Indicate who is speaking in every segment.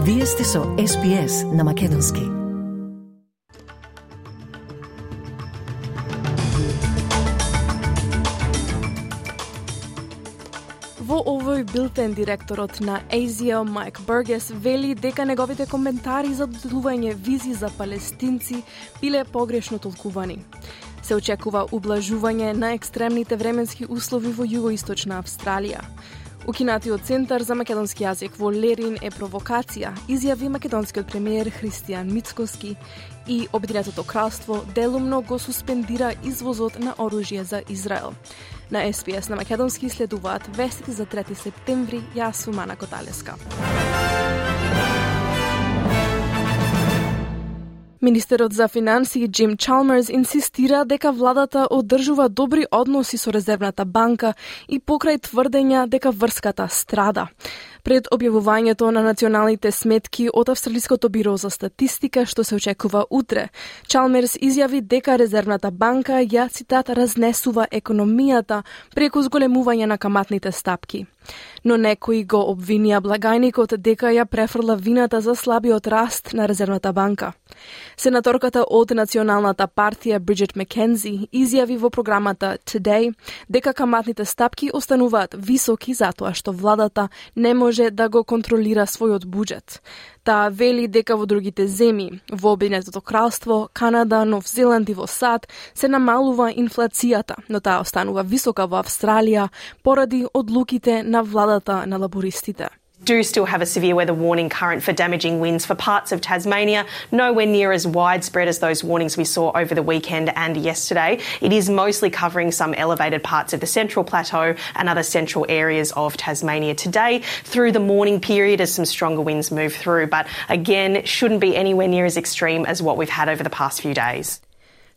Speaker 1: Вие сте со SPS на Македонски.
Speaker 2: Во овој билтен директорот на ASIO Майк Бургес вели дека неговите коментари за доделување визи за палестинци биле погрешно толкувани. Се очекува ублажување на екстремните временски услови во југоисточна Австралија. Укинатиот центар за македонски јазик во Лерин е провокација, изјави македонскиот премиер Христијан Мицкоски, и Обединетото кралство делумно го суспендира извозот на оружје за Израел. На SPS на македонски следуваат вестите за 3 септември, јас сум Ана Коталеска. Министерот за финансии Джим Чалмерс инсистира дека владата одржува добри односи со Резервната банка и покрај тврдења дека врската страда. Пред објавувањето на националните сметки од Австралиското биро за статистика, што се очекува утре, Чалмерс изјави дека Резервната банка ја, цитат, разнесува економијата преку зголемување на каматните стапки. Но некои го обвинија благајникот дека ја префрла вината за слабиот раст на Резервната банка. Сенаторката од Националната партија Бриджит Маккензи изјави во програмата Today дека каматните стапки остануваат високи затоа што владата не може да го контролира својот буџет. Таа вели дека во другите земји, во Обединетото кралство, Канада, Нов Зеланд и во САД, се намалува инфлацијата, но таа останува висока во Австралија поради одлуките на владата на лабористите.
Speaker 3: Do still have a severe weather warning current for damaging winds for parts of Tasmania, nowhere near as widespread as those warnings we saw over the weekend and yesterday. It is mostly covering some elevated parts of the Central Plateau and other central areas of Tasmania today through the morning period as some stronger winds move through, but again, shouldn't be anywhere near as extreme as what we've had over the past few days.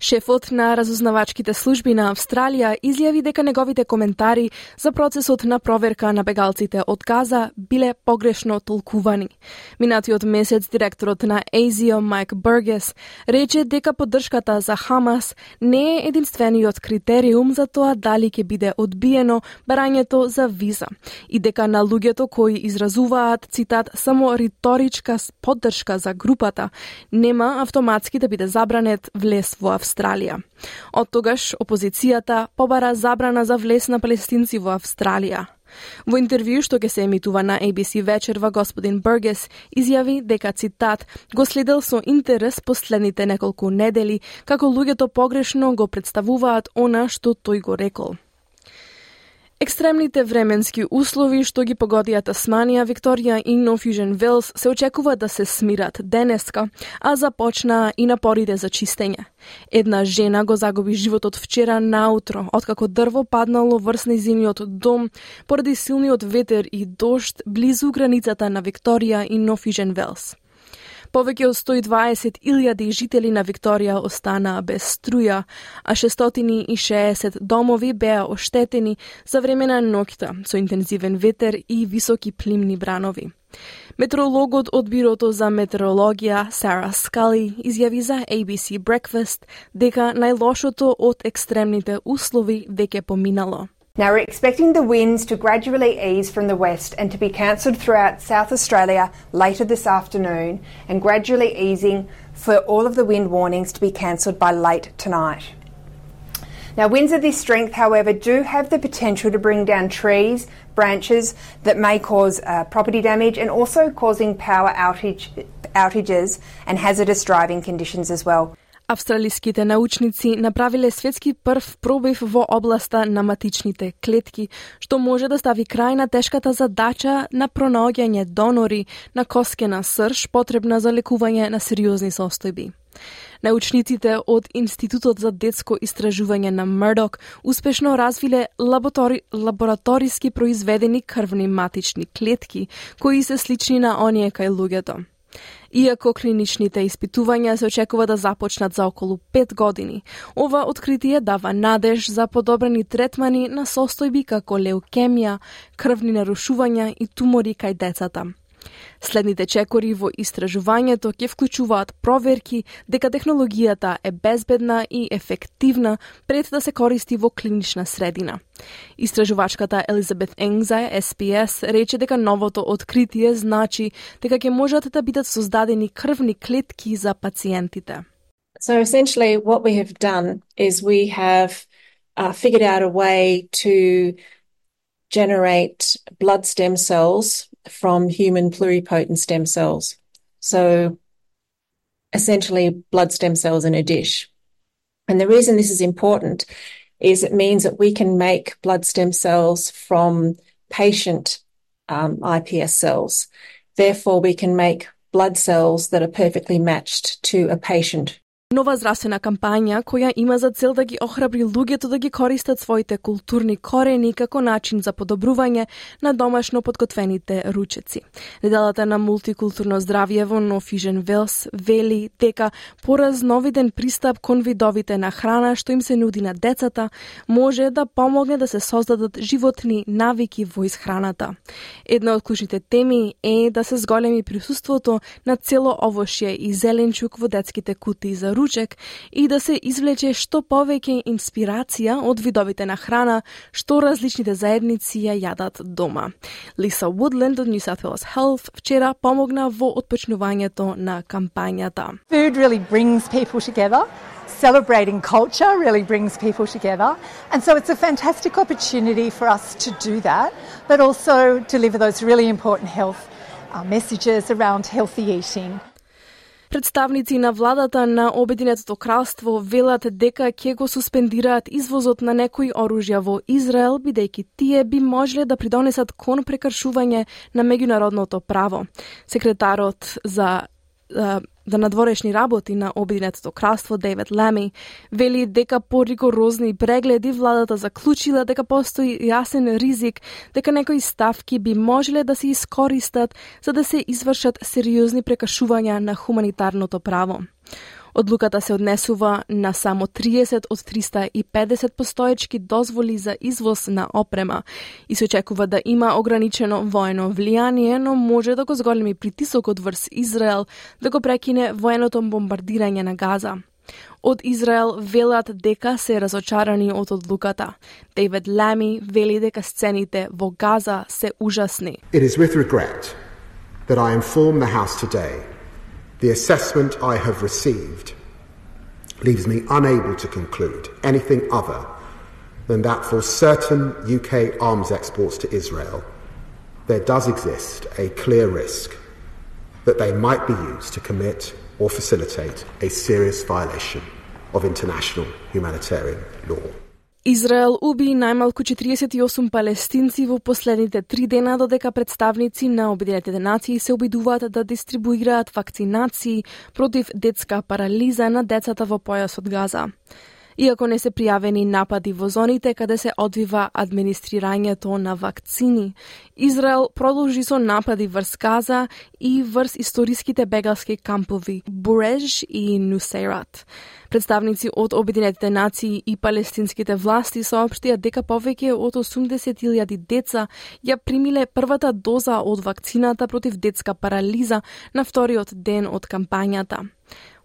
Speaker 2: Шефот на разузнавачките служби на Австралија изјави дека неговите коментари за процесот на проверка на бегалците од Газа биле погрешно толкувани. Минатиот месец директорот на ASIO Майк Бургес рече дека поддршката за Хамас не е единствениот критериум за тоа дали ќе биде одбиено барањето за виза и дека на луѓето кои изразуваат, цитат, само риторичка поддршка за групата, нема автоматски да биде забранет влез во Австралија. Од тогаш опозицијата побара забрана за влез на палестинци во Австралија. Во интервју што ќе се емитува на ABC вечерва, господин Бургес изјави дека, цитат, го следел со интерес последните неколку недели како луѓето погрешно го представуваат она што тој го рекол. Екстремните временски услови што ги погодија Тасманија, Викторија и Нов Јужен Велс се очекува да се смират денеска, а започнаа и напорите за чистење. Една жена го загуби животот вчера наутро, откако дрво паднало врз нејзиниот дом поради силниот ветер и дожд близу границата на Викторија и Нов Јужен Велс. Повеќе од 120.000 жители на Викторија останаа без струја, а 660 домови беа оштетени за време на ноќта со интензивен ветер и високи плимни бранови. Метеорологот од Бирото за метеорологија Сара Скали изјави за ABC Breakfast дека најлошото од екстремните услови веќе поминало.
Speaker 4: Now we're expecting the winds to gradually ease from the west and to be cancelled throughout South Australia later this afternoon, and gradually easing for all of the wind warnings to be cancelled by late tonight. Now winds of this strength, however, do have the potential to bring down trees, branches that may cause property damage, and also causing power outages and hazardous driving conditions as well.
Speaker 2: Австралиските научници направиле светски прв пробив во областа на матичните клетки, што може да стави крај на тешката задача на пронаоѓање донори на коскена срж потребна за лекување на сериозни состојби. Научниците од Институтот за детско истражување на Мурдок успешно развиле лабораториски произведени крвни матични клетки, кои се слични на оние кај луѓето. Иако клиничните испитувања се очекува да започнат за околу 5 години, ова откритие дава надеж за подобрени третмани на состојби како леукемија, крвни нарушувања и тумори кај децата. Следните чекори во истражувањето ќе вклучуваат проверки дека технологијата е безбедна и ефективна пред да се користи во клинична средина. Истражувачката Елизабет Eng за SPS рече дека новото откритие значи дека ќе можат да бидат создадени крвни клетки за пациентите.
Speaker 5: So essentially what we have done is we have figured out a way to generate blood stem cells from human pluripotent stem cells. So essentially blood stem cells in a dish. And the reason this is important is it means that we can make blood stem cells from patient iPS cells. Therefore, we can make blood cells that are perfectly matched to a patient.
Speaker 2: Нова здравствена кампања која има за цел да ги охрабри луѓето да ги користат своите културни корени како начин за подобрување на домашно подготвените ручеци. Неделата на мултикултурно здравје во Нов Южен Велс вели дека поразновиден пристап кон видовите на храна што им се нуди на децата може да помогне да се создадат животни навики во исхраната. Една од клучните теми е да се зголеми присуството на цело овошје и зеленчук во детските кутии за ручек и да се извлече што повеќе инспирација од видовите на храна што различните заедници ја јадат дома. Лиса Woodland од New South Wales Health вчера помогна во отпочнувањето на кампањата.
Speaker 6: Food really brings people together. Celebrating culture really brings people together. And so it's a fantastic opportunity for us to do that, but also deliver those really important health messages around healthy eating.
Speaker 2: Представници на владата на Обединетото кралство велат дека ќе го суспендираат извозот на некои оружја во Израел, бидејќи тие би можеле да придонесат кон прекршување на меѓународното право. Секретарот за надворешни работи на Обединетото кралство Дейвид Лами вели дека по ригорозни прегледи владата заклучила дека постои јасен ризик дека некои ставки би можеле да се искористат за да се извршат сериозни прекршувања на хуманитарното право. Одлуката се однесува на само 30 од 350 постоечки дозволи за извоз на опрема и се очекува да има ограничено воено влијание, но може да го зголеми притисокот врз Израел да го прекине военото бомбардирање на Газа. Од Израел велат дека се разочарани од одлуката. Дейвид Лами вели дека сцените во Газа се ужасни.
Speaker 7: It is with regret that I inform the House today the assessment I have received leaves me unable to conclude anything other than that for certain UK arms exports to Israel, there does exist a clear risk that they might be used to commit or facilitate a serious violation of international humanitarian law.
Speaker 2: Израел уби најмалку 48 палестинци во последните 3 дена, додека представници на Обединетите нации се обидуваат да дистрибуираат вакцинации против детска парализа на децата во појасот Газа. Иако не се пријавени напади во зоните каде се одвива администрирањето на вакцини, Израел продолжи со напади врз Газа и врз историските бегалски кампови Буреж и Нусейрат. Представници од Обединетите нации и палестинските власти соопштија дека повеќе од 80.000 деца ја примиле првата доза од вакцината против детска парализа на вториот ден од кампањата.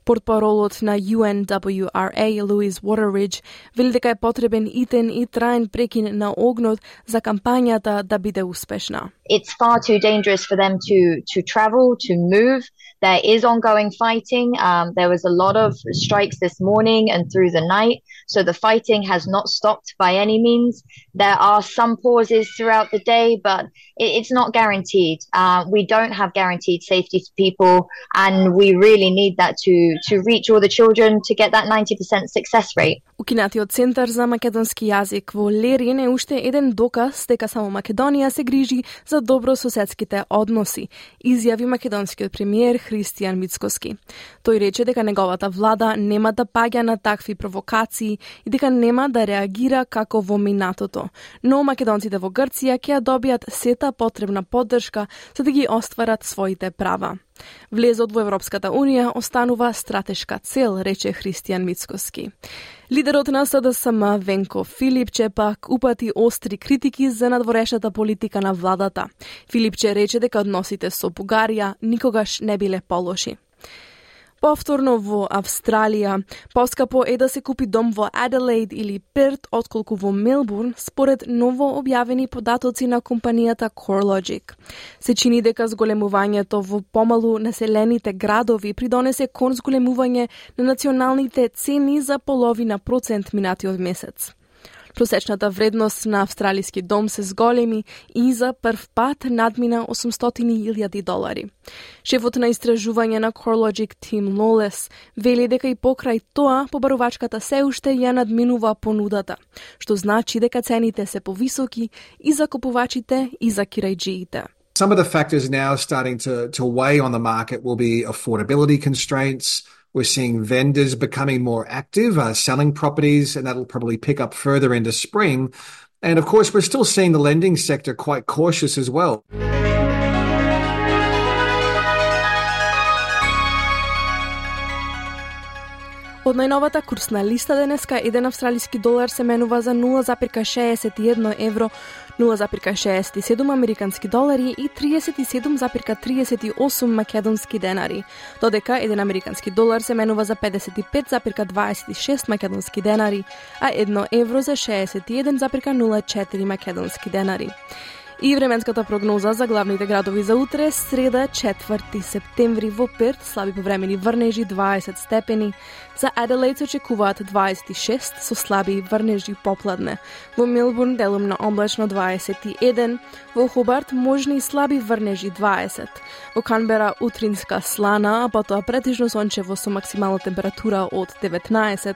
Speaker 2: Портпаролот на UNWRA, Louise Waterridge, вели дека е потребен итен и траен прекин на огнот за кампањата да биде успешна.
Speaker 8: It's far too dangerous for them to travel, to move. There is ongoing fighting. There was a lot of strikes this morning and through the night, so the fighting has not stopped by any means. There are some pauses throughout the day, but it's not guaranteed. We don't have guaranteed safety for people, and we really need that to reach all the children to get that 90% success rate.
Speaker 2: Укинатиот центар за македонски јазик во Лерин е уште еден доказ дека само Македонија се грижи за добрососедските односи, изјави македонскиот премиер Христијан Мицкоски. Тој рече дека неговата влада нема да паѓа на такви провокации и дека нема да реагира како во минатото, но македонците во Грција ќе ја добијат сета потребна поддршка за да ги остварат своите права. Влезот во Европската Унија останува стратешка цел, рече Христијан Мицкоски. Лидерот на СДСМ Венко Филипче пак упати остри критики за надворешната политика на владата. Филипче рече дека односите со Бугарија никогаш не биле полоши. Повторно во Австралија, поскапо е да се купи дом во Аделаид или Перт отколку во Мелбурн, според ново објавени податоци на компанијата CoreLogic. Се чини дека зголемувањето во помалу населените градови придонесе кон зголемување на националните цени за половина процент минатиот месец. Просечната вредност на австралиски дом се зголеми и за прв пат надмина $800,000. Шефот на истражување на CoreLogic Tim Lawless вели дека и покрај тоа побарувачката се уште ја надминува понудата, што значи дека цените се повисоки и за купувачите и за кирајџиите.
Speaker 9: Some of the factors now starting to weigh on the market will be affordability constraints. We're seeing vendors becoming more active, selling properties, and that'll probably pick up further into spring. And of course, we're still seeing the lending sector quite cautious as well.
Speaker 2: Од најновата курсна листа денеска, 1 австралиски долар се менува за 0,61 евро, 0,67 американски долари и 37,38 македонски денари, додека 1 американски долар се менува за 55,26 македонски денари, а 1 евро за 61,04 македонски денари. И временската прогноза за главните градови за утре, среда 4 септември во Перт, слаби повремени врнежи 20 степени, за Аделаид се очекуваат 26 со слаби врнежи попладне, во Мелбурн делумно облачно 21, во Хобарт можни слаби врнежи 20, во Канбера утринска слана, а потоа претежно сончево со максимална температура од 19,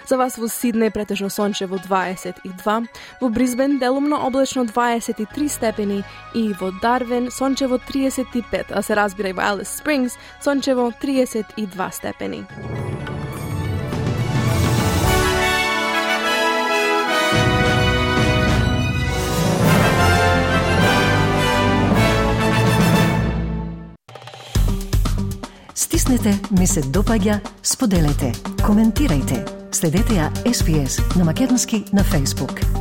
Speaker 2: за вас во Сиднеј претежно сончево 22, во Брисбен делумно облачно 23 степени и во Дарвин сончево 35, а се разбира и во Алис Спрингс сончево 32 степени.
Speaker 1: Стиснете, ми се допаѓа, споделете, коментирајте. Следете ја SPS на Македонски на Facebook.